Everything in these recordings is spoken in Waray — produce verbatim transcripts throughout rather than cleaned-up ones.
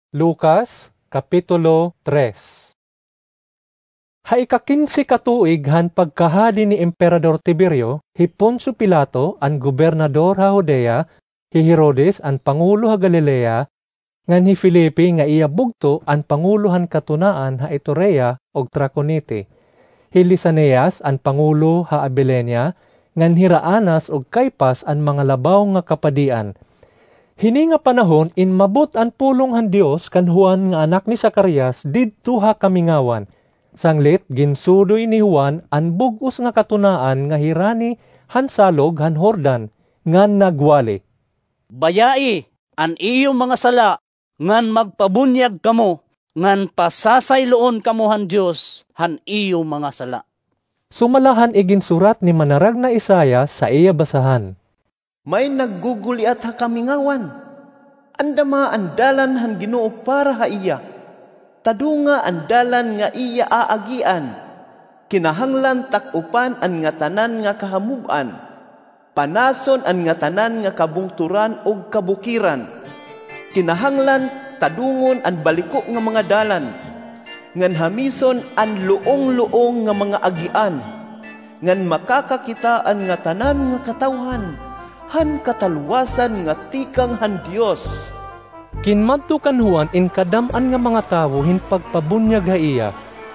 Lucas, Kapitulo tres. Ha ikakinse ka tuig han pagkahadi ni Emperador Tiberio, hi Poncio Pilato, an gobernador ha Judea, hi Herodes, an pangulo ha Galilea, ngan hi Felipe nga iya bugto, an pangulo han katunaan ha Iturea ug Traconite, hi Lisanias, an pangulo ha Abilenia, ngan hira Anas ug Caifas, an mga labaw nga kapadian. Hini nga panahon, inmabot an pulong han Dios kan Juan nga anak ni Zacarias didto ha kamingawan. Sanglit, ginsudoy ni Juan an bug-os nga katunaan nga hirani han salog han Jordan, ngan nagwali, "Bayai an iyo mga sala, ngan magpabunyag kamo, ngan pasasayloon kamo han Dios han iyo mga sala." Sumala han iginsurat ni Manaragna Isaias sa iya basahan, "May nagguguliat ha kamingawan. Andama an dalan han Ginoo para ha iya. Tadunga an dalan nga iya aagian. Kinahanglan tak-upan an ngatanan nga kahamub-an. Panason an ngatanan nga kabungtoran ug kabukiran. Kinahanglan tadungon an baliko nga mga dalan, ngan hamison an luong-luong nga mga agian, ngan makakakita an ngatanan nga katawhan han katalwasan nga tikang han Dios." Kinmadto kan Juan in kadam-an nga mga tawo hin pagpabunyag ha iya.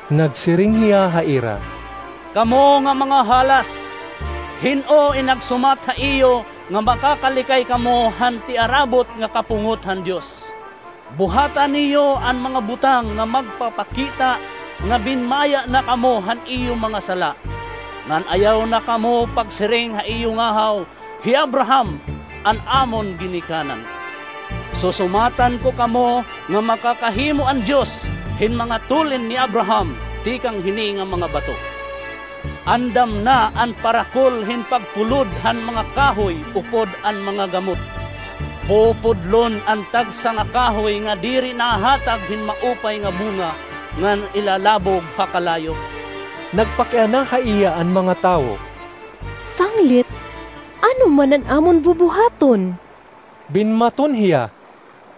Nagsiring hiya ha ira, "Kamo nga mga halas, hin-o in nagsumat ha iyo nga makakalikay kamo han tiarabot nga kapungot han Dios? Buhata niyo an mga butang nga magpapakita nga binmaya na kamo han iyo mga sala, ngan ayaw na kamo pagsiring ha iyo ngahaw, 'Hi Abraham an amon ginikanan.' Susumatan ko kamo nga makakahimo an Dios hin mga tulin ni Abraham tikang hini nga mga bato. Andam na an parakol hin pagpulod han mga kahoy upod an mga gamot. Pupudlon an tagsa nga kahoy nga diri nahahatag hin maupay nga bunga ngan ilalabog ha kalayo." Nagpakiana ha iya an mga tawo, "Sanglit, ano man an amon bubuhaton?" Binmaton hiya,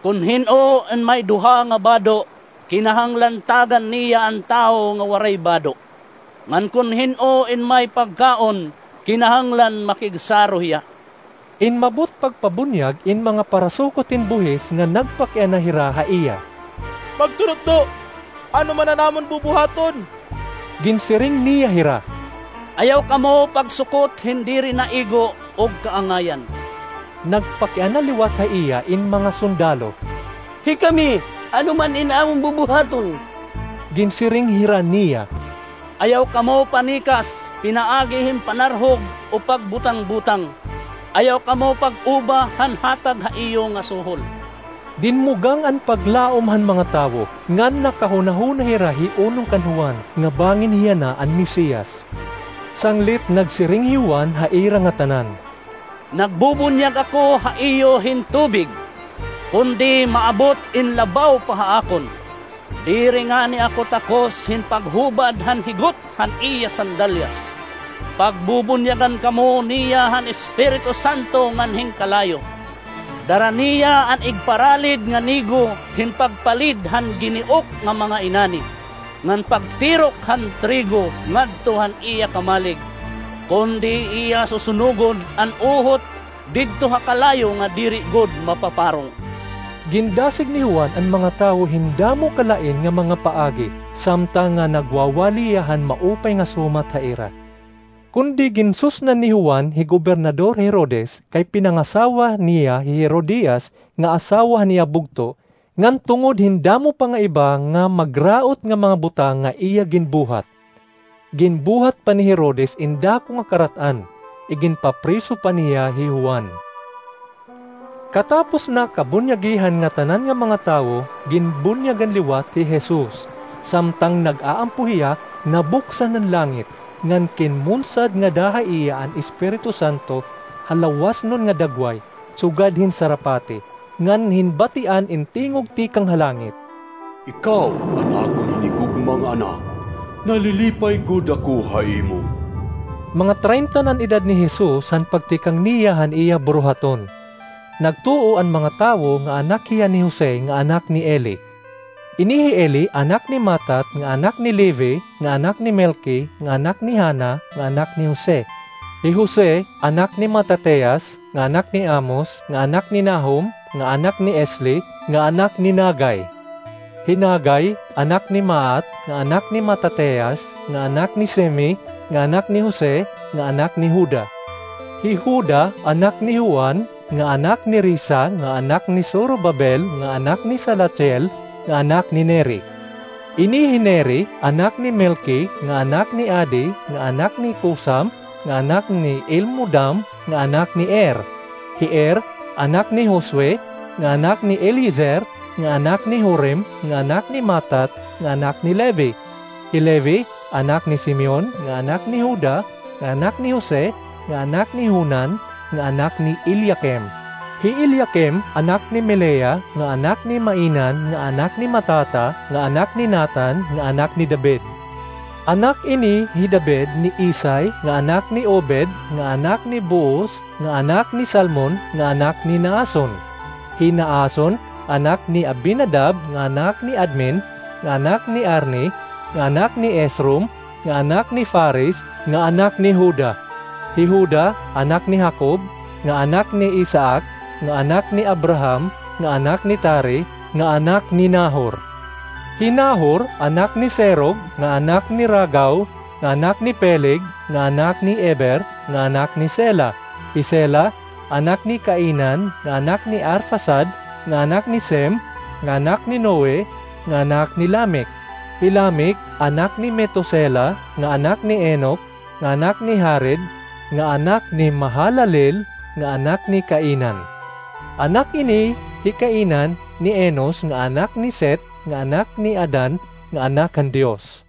"Kon hin-o in may duha nga bado, kinahanglan tagan niya an tawo nga waray bado. Ngan kon hin-o in may pagkaon, kinahanglan makigsaro hiya." Inmabot pagpabunyag in mga parasukot hin buhis nga nagpakiana hira ha iya, "Magturutdo, ano man an amon bubuhaton?" Ginsiring niya hira, "Ayaw kamo pagsukot hin diri naigo ug kaangayan." Nagpakiana liwat ha iya in mga sundalo, "Hikami, ano man in amon bubuhaton?" Ginsiring hira niya, "Ayaw kamo panikas pinaagi hin panarhog o pagbutang-butang. Ayaw kamo pag-uba han hatag ha iyo nga suhol." Dinmugang an paglaom han mga tawo, ngan nakahunahuna hira hi unong kan Juan nga bangin hiya na an Mesias. Sanglit nagsiring hi Juan ha ira ngatanan, "Nagbubunyag ako ha iyo hin tubig, kundi maabot in labaw pa ha akon. Diri ngani ako takos hin paghubad han higot han iya sandalyas. Pagbubunyagan kamo niya han Espiritu Santo ngan hin kalayo. Dara niya an igparalid nga nigo hin pagpalid han giniok nga mga inani, ngan pagtirok han trigo ngadto han iya kamalig, kundi iya susunugon an uhot didto ha kalayo nga diri gud mapaparong." Gindasig ni Juan an mga tawo hin damo kalain nga mga paagi, samtang nga nagwawali hiya han maupay nga sumat ha ira. Kundi ginsusnan ni Juan hi Gobernador Herodes kay pinangasawa niya hi Herodias nga asawa han iya bugto, ngan tungod hin damo pa nga iba nga magraot nga mga butang nga iya ginbuhat. Ginbuhat pa ni Herodes in dako nga karat-an, iginpapriso pa niya hi Juan. Katapos na kabunyagi han ngatanan nga mga tawo, ginbunyagan liwat hi Jesus. Samtang nag-aampo hiya, nabuksan an langit, ngan kinmunsad ngada ha iya an Espiritu Santo ha lawasnon nga dagway, sugad hin sarapati, ngan hinbatian in tingog tikang ha langit, "Ikaw an akon hinigugma nga Anak, nalilipay gud ako ha imo." Mga treinta na an edad ni Jesus han pagtikang niya han iya buruhaton. Nagtuo an mga tawo nga anak hiya ni Jose nga anak ni Eli, Ini hi Eli anak ni Matat nga anak ni Levi nga anak ni Melki nga anak ni Hana nga anak ni Jose. Hi Jose anak ni Matatias nga anak ni Amos nga anak ni Nahum nga anak ni Esli nga anak ni Nagay. Hi Nagay anak ni Maat nga anak ni Matatias nga anak ni Semi nga anak ni Jose nga anak ni Juda. Hi Juda anak ni Juan nga anak ni Risa nga anak ni Zorobabel nga anak ni Salatiel nga anak ni Neri. Ini hi Neri anak ni Melki nga anak ni Adi nga anak ni Cosam nga anak ni Elmodam nga anak ni Er. Hi Er anak ni Josue nga anak ni Eliezer nga anak ni Jorim nga anak ni Matat nga anak ni Levi. Hi Levi anak ni Simeon nga anak ni Juda nga anak ni Jose nga anak ni Jonan nga anak ni Eliakim. Hi Eliakim anak ni Melea nga anak ni Mainan nga anak ni Matata nga anak ni Natan nga anak ni David. Anak ini hi David ni Isai nga anak ni Obed nga anak ni Booz nga anak ni Salmon nga anak ni Naason. Hi Naason anak ni Abinadab nga anak ni Admin nga anak ni Arni nga anak ni Esrom nga anak ni Fares nga anak ni Juda. Hi Juda anak ni Jacob nga anak ni Isaac nga anak ni Abraham nga anak ni Tari nga anak ni Nahor. Hi Nahor anak ni Serug nga anak ni Ragau nga anak ni Peleg nga anak ni Eber nga anak ni Sela. Hi Sela anak ni Cainan nga anak ni Arfaxad nga anak ni Sem nga anak ni Noe nga anak ni Lamec. Hi Lamec anak ni Metusela nga anak ni Enoc nga anak ni Jared nga anak ni Mahalalel nga anak ni Cainan. Anak ini hi Cainan ni Enos nga anak ni Set nga anak ni Adan nga anak han Dios.